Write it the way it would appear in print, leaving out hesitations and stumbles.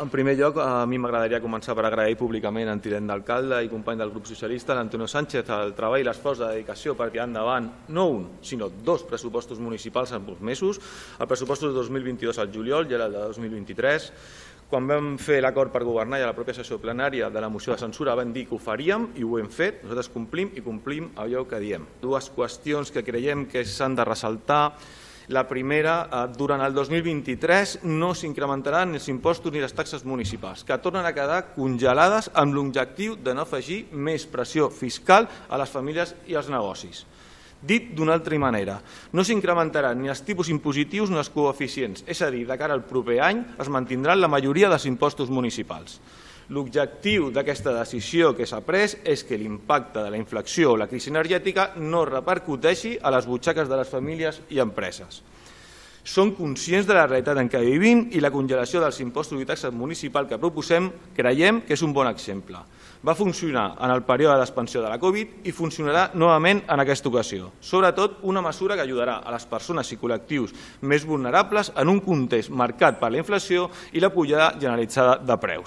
En primer lloc, a mi m'agradaria començar per agrair públicament al tinent d'alcalde i company del grup socialista, l'Antonio Sánchez, el treball i l'esforç de dedicació per tirar endavant no un, sinó dos pressupostos municipals en pocs mesos, el pressupost de 2022 al juliol i el de 2023. Quan vam fer l'acord per governar i a la pròpia sessió plenària de la moció de censura vam dir que ho faríem i ho hem fet. Nosaltres complim allò que diem. Dues qüestions que creiem que s'han de ressaltar. La primera, durant el 2023 no s'incrementaran els impostos ni les taxes municipals, que tornen a quedar congelades amb l'objectiu de no afegir més pressió fiscal a les famílies i als negocis. Dit d'una altra manera, no s'incrementaran ni els tipus impositius ni els coeficients, és a dir, de cara al proper any es mantindran la majoria dels impostos municipals. L'objectiu d'aquesta decisió que s'ha pres és que l'impacte de la inflació o la crisi energètica no repercuteixi a les butxaques de les famílies i empreses. Som conscients de la realitat en què vivim i la congelació dels impostos i taxes municipals que proposem creiem que és un bon exemple. Va funcionar en el període d'expansió de la Covid i funcionarà novament en aquesta ocasió. Sobretot, una mesura que ajudarà a les persones i col·lectius més vulnerables en un context marcat per la inflació i la pujada generalitzada de preus.